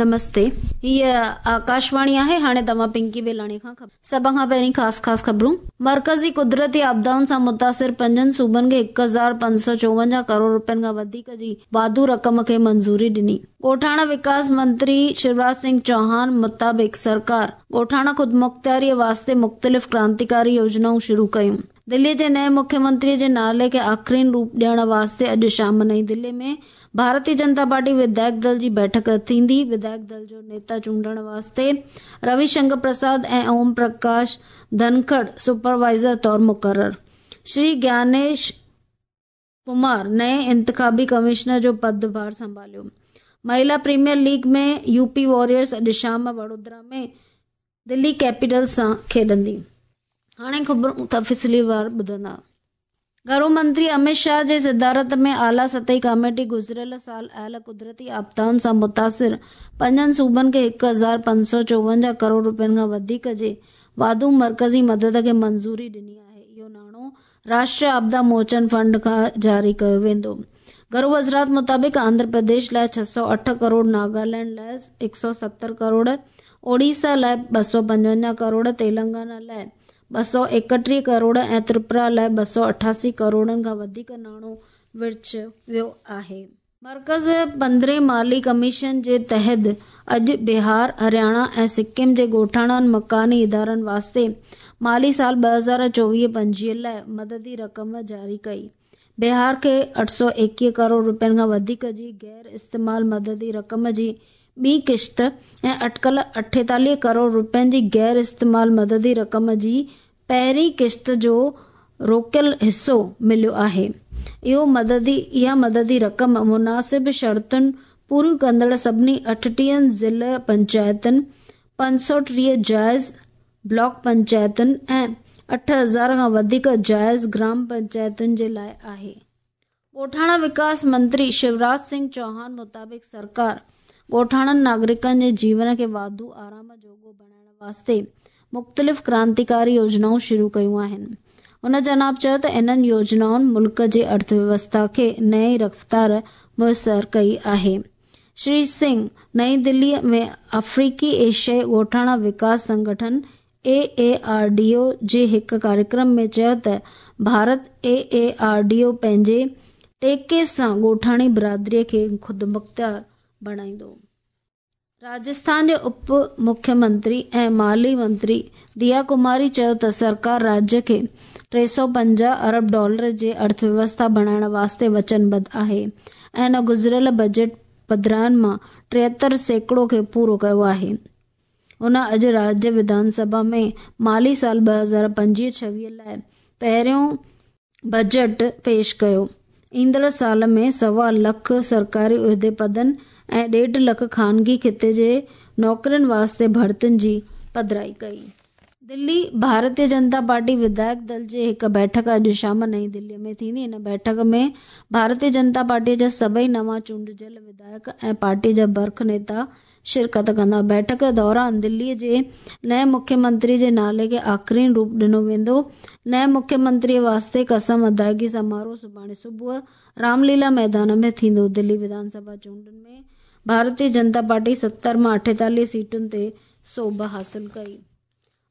نمستي هيء آڪاشواڻي آهي هاڻي توهان پنڪي بيلاڻي کان خبر سڀ کان پهرين خاص خاص خبرون مرڪزي قدرتي آپدائن سان متاثر پنجن صوبن کي 1554 ڪروڙ روپين کان وڌيڪ جي واڌو رقم کي منظوري ڏني ڳوٺاڻا وڪاس منتري شيوراج سنگهه چوهان مطابق سرڪار ڳوٺاڻا خودمختياري واسطي مختلف ڪرانتيڪاري يوجنائون شروع ڪيون دلي جي نئين مکيه منتري جي نالي کي آخرين روپ ڏيڻ واسطي اڄ شام نئين دلي ۾ ڀارتي جنتا پارٽي وڌايڪ دل جي بيٺڪ ٿيندي. وڌايڪ دل جو نيتا چونڊڻ واسطي روي شنڪر پرساد ۽ اوم پرڪاش ڌنکڙ سپروائيزر طور مقرر. شري گيانيش ڪمار نئين انتخابي ڪمشنر جو پد ڀار سنڀاليو. مهيلا پريميئر ليگ ۾ يوپي واريئرز اڄ شام وڙودرا ۾ دلي ڪيپيٽلز سان کيڏندي. هاڻي خبرون تفصيلوار ٻڌندا. گهرو منتري امت شاهه جي صدارت ۾ اعليٰ سطحي ڪاميٽي گذريل سال آيل قدرتي آفتائن سان متاثر پنجن صوبن کي 1554 ڪروڙ روپين کان وڌيڪ جي واڌو مرڪزي مدد کي منظوري ڏني آهي. اهو ناڻو راشٽريه آپدا موچن فنڊ کان جاري ڪيو ويندو. گهرو وزارت مطابق آنڌرا پرديش لاء 608 ڪروڙ، ناگالينڊ لاء 170 ڪروڙ، اوڙيسا لاء 255 ڪروڙ، تيلنگانا لاء 231 ڪروڙ ۽ تريپورا لاء 288 ڪروڙن کان وڌيڪ ناڻو ورڇيو ويو آهي. مرڪز پندرهين مالي ڪميشن جي تحت اڄ بهار، هرياڻا ۽ سڪم جي ڳوٺاڻن مڪاني ادارن واسطي مالي سال 2024-25 لاء مددي رقم جاري ڪئي. بهار کي 821 ڪروڙ روپين کان وڌيڪ جي غير استعمال مددي رقم جي ٻي قسط ۽ اٽڪل 48 ڪروڙ روپين جي غير استعمال مددي رقم جي پهرين قسط جو روڪيل حصو مليو آهي. اهو مددي اها مددي رقم مناسب شرطن پوريون ڪندڙ سڀني 38 ضلع پنچائتن، 530 جائز بلاڪ پنچائتن ۽ 8000 کان وڌيڪ جائز گرام پنچائتن جي لاء آهي. ڳوٺاڻا وڪاس منتري شيوراج سنگهه چوهان مطابق سرڪار ڳوٺاڻن ناگرڪن جي جيون کي واڌو آرام جوڳو بڻائڻ واسطي مختلف ڪرانتيڪاري يوجنائون شروع ڪيون آهن. هن جناب چيو ته انهن يوجنائن ملڪ جي ارٿويوسٿا کي نئين رفتار ميسر ڪئي آهي. شري سنگهه نئين دلي ۾ آفريقي ايشيائي ڳوٺاڻا وڪاس سنگٺن اي اي آر ڊي او جي هڪ ڪاريڪرم ۾ چيو ته Bharat A A R D O پنهنجي ٽيڪي سان ڳوٺاڻي برادري کي خودمختيار بڻائيندو. راجسٿان جي اپ مکيه منتري ۽ مالي منتري ديا ڪماري چيو ته سرڪار راجيه کي 350 ارب ڊالر جي ارٿويوسٿا بڻائڻ واسطي وچنبڌ آهي ۽ ان گذريل بجيٽ پڌرائن مان 73% کي پورو ڪيو آهي. هن اڄ راجيه وڌان سڀا ۾ مالي سال 2025-26 لاء پهريون بجيٽ پيش ڪيو. ايندڙ سال ۾ سوا لک سرڪاري عهدي پدن ۽ ڏيڍ لک خانگي خطي جي نوڪرين واسطي ڀرتين جي پڌرائي ڪئي. دلي، ڀارتيه جنتا پارٽي وڌايڪ دل جي هڪ بيٺڪ اڄ شام نئين دلي ۾ ٿيندي. ان بيٺڪ ۾ ڀارتيه جنتا پارٽي جا سڀئي نوان چونڊجيل وڌايڪ ۽ پارٽي جا برک نيتا شرڪت ڪندا. بيٺڪ دوران دلي جي نئين مکيه منتري جي نالي کي آخرين روپ ڏنو ويندو. نئين مکيه منتري واسطي قسم ادائگي سماروهه سڀاڻي صبح رام ليلا ميدان ۾ ٿيندو. دلي وڌان سڀا چونڊن ۾ ڀارتيه جنتا پارٽي 70 مان 48 سيٽن تي سوڀ حاصل ڪئي.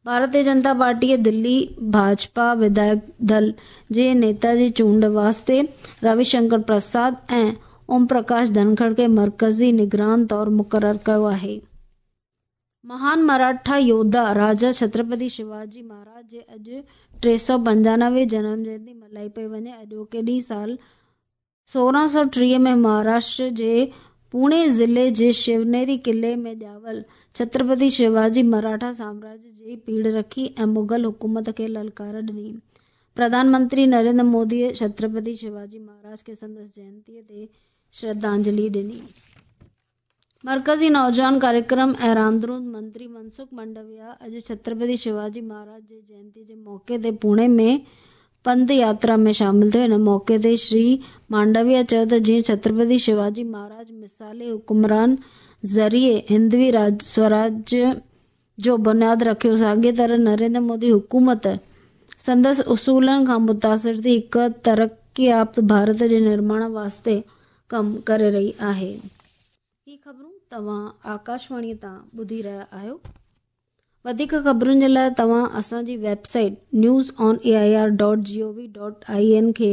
ڀارتيه جنتا پارٽيء دلي ڀاجپا وڌايڪ دل جي نيتا جي چونڊ واسطي روي شنڪر پرساد ۽ اوم پرڪاش ڌنکڙ کي مرڪزي نگران طور مقرر ڪيو آهي. مهان مراٺا يوڌا راجا ڇترپتي شيواجي مهاراج جي اڄ 395 جنم جينتي ملهائي پئي وڃي. اڄوڪي ڏينهن سال 1630 ۾ مهاراشٽر جي پوڻي ضلعي جي شونيري قلعي ۾ ڄاول ڇترپتي شيواجي مراٺا سامراج جي پيڙهه رکي ۽ مغل حڪومت کي للڪار ڏني. پرڌان منتري نريندر موديء ڇترپتي شيواجي مهاراج کي سندس جينتيء تي شرڌانجلي ڏني. مرڪزي نوجوان ڪاريڪرم ۽ راندرون منتري منسک مانڊويا اڄ ڇترپتي شيواجي مهاراج جي جينتي جي موقعي تي پوڻي ۾ پنڌ ياترا ۾ شامل ٿيو. ان موقعي تي شري مانڊويا چيو ته جيئن ڇترپتي شيواجي مهاراج مثالي حڪمران ذريعي هندوي سوراج جو بنياد رکيو، ساڳي طرح نريندر مودي حڪومت سندس اصولن کان متاثر ٿي هڪ ترقي يافته ڀارت جي نرماڻ واسطي ڪم ڪري رهي آهي. هي خبرون توهان آڪاشواڻي تان ٻڌي رهيا آهيو. وڌيڪ خبرن جي لاء توهان اسان جي website news on A I R dot G O V dot I N کي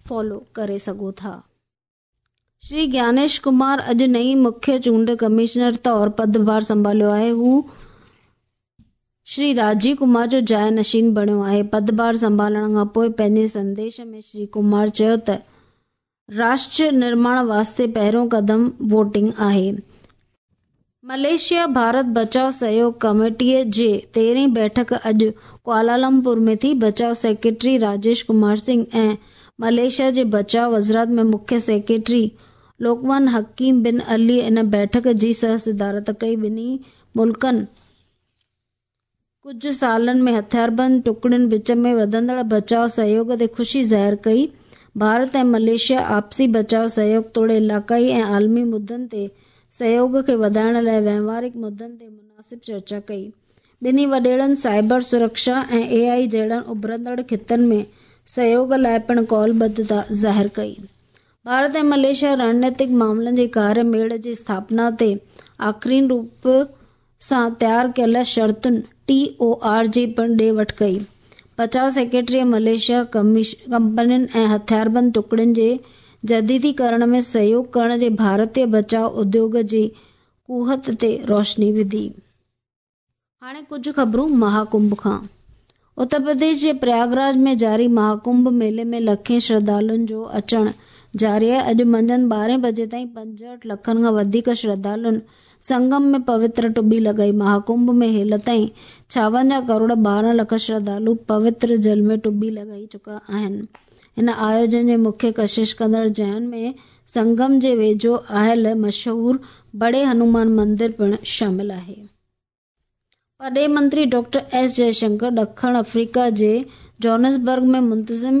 فالو ڪري سگهو ٿا. شري گيانيش ڪمار اڄ نئين مکيه چونڊ ڪمشنر طور پدڀار سنڀاليو آهي. هو شري راجيو ڪمار جو جاء نشين بڻيو آهي. پدڀار سنڀالڻ کان پوء پنهنجي سنديش ۾ شري ڪمار چيو ته راشٽر نرماڻ واسطي پهريون قدم ووٽنگ آهي. ملائيشيا ڀارت بچاء سهيوگ ڪميٽيء جي تيرهين بيٺڪ اڄ ڪوالالمپور ۾ ٿي. بچاء سيڪريٽري راجيش ڪمار سنگهه ۽ ملائيشيا جي بچاء وزارت ۾ مکيه سيڪريٽري لوڪمان حڪيم بن علي ان بيٺڪ جي سه صدارت ڪئي. ٻنهي ملڪن ڪجهه سالن ۾ هٿياربند ٽڪڙين وچ ۾ وڌندڙ بچاء سهيوگ تي خوشي ظاهر ڪئي. ڀارت ۽ ملائيشيا آپسي بچاء سهيوگ توڙي علائقائي ۽ عالمي مدن تي سهيوگ کي وڌائڻ لاء وهنوارڪ مدن تي مناسب چرچا ڪئي. ٻنهي وڏيرن سائبر سرڪشا ۽ اي آء جهڙن اڀرندڙ خطن ۾ سهيوگ لاء پڻ قولبڌتا ظاهر ڪئي. ڀارت ۽ ملائيشيا رڻنيتڪ معاملن جي ڪاري ميڙ جي اسٿاپنا تي آخرين روپ سان تيار ڪيل شرطن، ٽي او آر، جي پڻ ڏي وٺ ڪئي. بچاء سيڪريٽريء ملائيشيا ڪمپنين ۽ هٿياربند ٽڪڙين جي جديديڪرڻ ۾ سهيوگ ڪرڻ جي ڀارتي بچاء اديوگ جي قوت تي روشني وڌي. هاڻي ڪجهه خبرون مهاڪنڀ کان. اتر پرديش جي پرياگراج ۾ جاري مهاڪنڀ ميلي ۾ لکين شرڌالن جو اچڻ جاري آهي. اڄ منجهند ٻارهين بجي تائين 65 لکن کان وڌيڪ شرڌالن سنگم ۾ پوتر ٽٻي لڳائي. مهاڪنڀ ۾ هيل تائين 56 ڪروڙ 12 لک شرڌالو پوتر جل ۾ ٽٻي لڳائي چڪا آهن. هن آيوجن جي مکيه ڪشش ڪندڙ جاين ۾ سنگم جي ويجهو آيل مشهور بڙي هنومان مندر پڻ شامل آهي. پرڏيهي منتري ڊاڪٽر ايس جئه شنڪر ڏکڻ آفريڪا جي جوهانسبرگ ۾ منتظم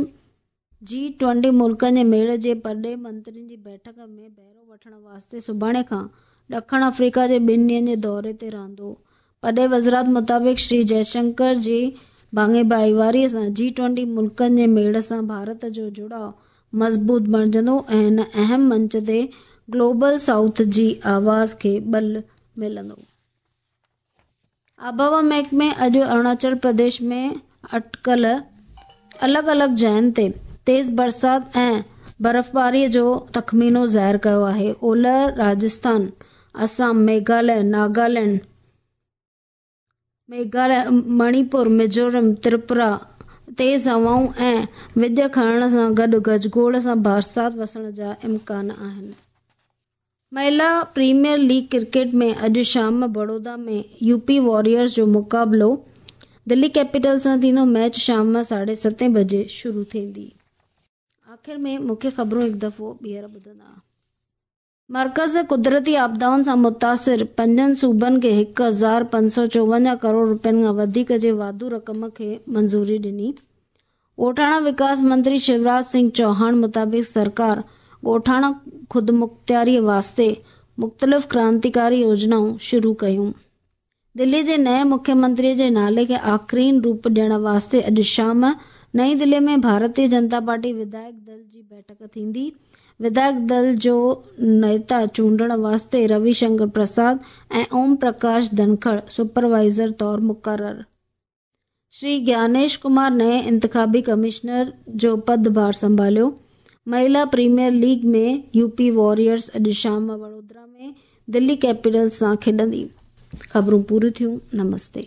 جي ٽوئنٽي ملڪن جي ميڙ جي پرڏيهي منترين جي بيٺڪ ۾ بهرو وٺڻ واسطي سڀاڻي کان ڏکڻ آفريڪا جي ٻن ڏينهن جي دوري تي رهندو. پرڏيهي وزارت مطابق شري جئه شنڪر جي ڀاڱي ڀائيواري سان جي ٽوئنٽي ملڪن جي ميڙ سان ڀارت جو جڙاء مضبوط بڻجندو ۽ هن اهم منچ تي گلوبل سائوٿ جي آواز کي ٻل ملندو. آبهوا محڪمي اڄ اروناچل پرديش ۾ اٽڪل الڳ الڳ جاين تي تيز برسات ۽ برفباري جو تخمينو ظاهر ڪيو آهي. اولهه راجسٿان، آسام، ميگهاليه، ناگالينڊ، مڻيپور، ميزورم، تريپورا تيز هوائون ۽ وڄ کڻڻ سان گڏ گجگوڙ سان برسات وسڻ جا امڪان آهن. مهلا پريميئر ليگ ڪرڪيٽ ۾ اڄ شام بڙودا ۾ يو پي واريئرز جو مقابلو دلي ڪيپيٽلز سان ٿيندو، ميچ شام 7:30 بجي شروع ٿيندي. آخر ۾ مکيه خبرون هڪ دفعو ٻيهر ٻڌندا. مرڪز قدرتي آپدائن سان متاثر پنجن صوبن کي 1554 ڪروڙ رپين کان وڌيڪ جي واڌو رقم کي منظوري ڏني. ڳوٺاڻا وڪاس منتري شيوراج سنگهه چوهاڻ مطابق سرڪار ڳوٺاڻا خودمختياري واسطي مختلف ڪرانتيڪاري يوجنائون شروع ڪيون. دلي جي نئين مکيه منتري جي نالي کي آخرين روپ ڏيڻ واسطي اڄ شام نئين دلي ۾ ڀارتي جنتا پارٽي وڌايڪ دل جي بيٺڪ ٿيندي. وڌايڪ دل جو نيتا چونڊڻ واسطي روي شنڪر پرساد ۽ اوم پرڪاش ڌنکڙ سپروائيزر طور مقرر. شري گيانيش ڪمار نئين انتخابي ڪمشنر جو پد ڀار سنڀاليو. مهلا premier league ۾ U P warriors اڄ شام وڙودرا ۾ دلي ڪيپيٽلز سان کيڏندي. خبرون پوريون ٿيون. نمستي.